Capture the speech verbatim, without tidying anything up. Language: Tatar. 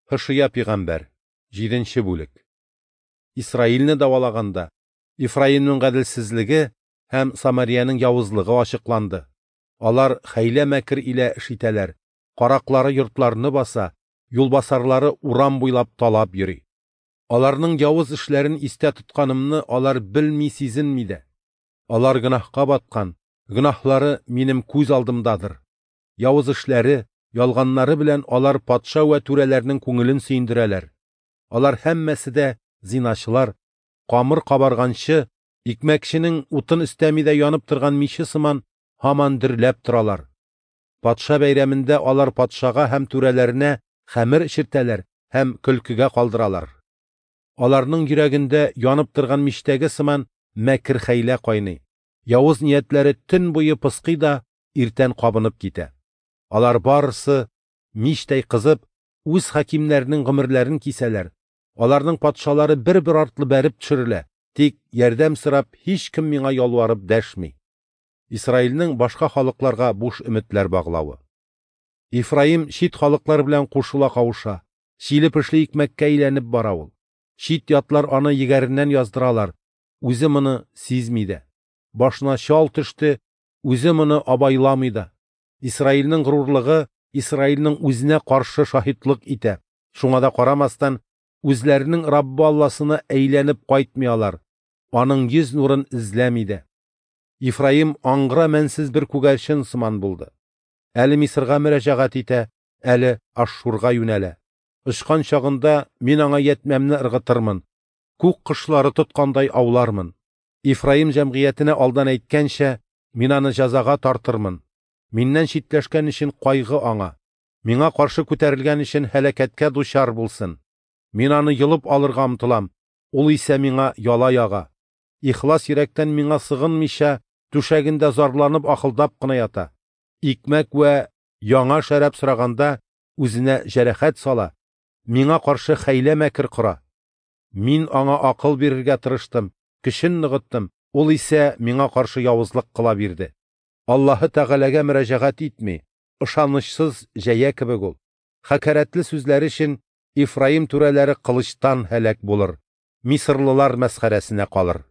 Һошия пигамбәр, җиденче бүлек. Исраилне дәвалаганда, Ефраимның гаделсезлеге һәм Самариянең явызлыгы ачыкланды. Алар хәйлә-мәкер илә эш итәләр, караклары йортларны баса, юлбасарлары урам буйлап талап йөри. Аларның явыз эшләрен истә тотканымны алар белми, сизенми дә. Алар гөнаһка баткан, гөнаһлары минем күз алдымдадыр. Явыз эшләре, ялганнары белән алар патша вә түрәләрнең күңелен сөендерәләр. Алар һәммәсе дә зиначылар, камыр кабарганчы, икмәкченең утын өстәми дә янып торган миче сыман һаман дөрләп торалар. Патша бәйрәмендә алар патшага һәм түрәләренә хәмер эчертәләр һәм көлкегә калдыралар. Аларның йөрәгендә янып торган мичтәге сыман мәкер хәйлә кайный. Явыз ниятләре төн буе пыскый да иртән кабынып китә. Алар барысы мичтәй кызып, үз хакимнәренең гомерләрен кисәләр. Аларның патшалары бер-бер артлы бәреп төшерелә, тик ярдәм сорап һичкем миңа ялварып дәшми. Исраилнең башка халыкларга буш өметләр баглавы. Ефраим чит халыклар белән кушыла кавыша, чиле-пешле икмәккә әйләнеп бара ул. Чит ятлар аны егәреннән яздыралар, үзе моны сизми дә. Башына чал төште, үзе моны абайламый да. Исраилнең горурлыгы Исраилнең үзенә каршы шаһитлык итә. Шуңа да карамастан, үзләренең Раббы Алласына әйләнеп кайтмый алар, аның йөз нурын эзләми дә. Ефраим аңгыра мәнсез бер күгәрчен сыман булды. Әле Мисырга мөрәҗәгать итә, әле Ашшурга юнәлә. Очкан чагында мин аңа ятмәмне ыргытырмын, күк кошлары тоткандай аулармын. Ефраим җәмгыятенә алдан әйткәнчә, мин аны җәзага тартырмын. Миннән читләшкән өчен кайгы аңа, миңа каршы күтәрелгән өчен һәлакәткә дучар булсын. Мин аны йолып алырга омтылам, ул исә миңа яла яга. Ихлас йөрәктән миңа сыгынмыйча, түшәгендә зарланып ахылдап кына ята. Икмәк вә яңа шәраб сораганда үзенә җәрәхәт сала, миңа каршы хәйлә-мәкер кора. Мин аңа акыл бирергә тырыштым, көчен ныгыттым, ул исә миңа каршы явызлык кыла бирде. Аллаһы Тәгаләгә мөрәҗәгать итми, ышанычсыз җәя кебек ул. Хакәрәтле сүзләре өчен Ефраим түрәләре кылычтан һәлак булыр, мисырлылар мәсхәрәсенә калыр.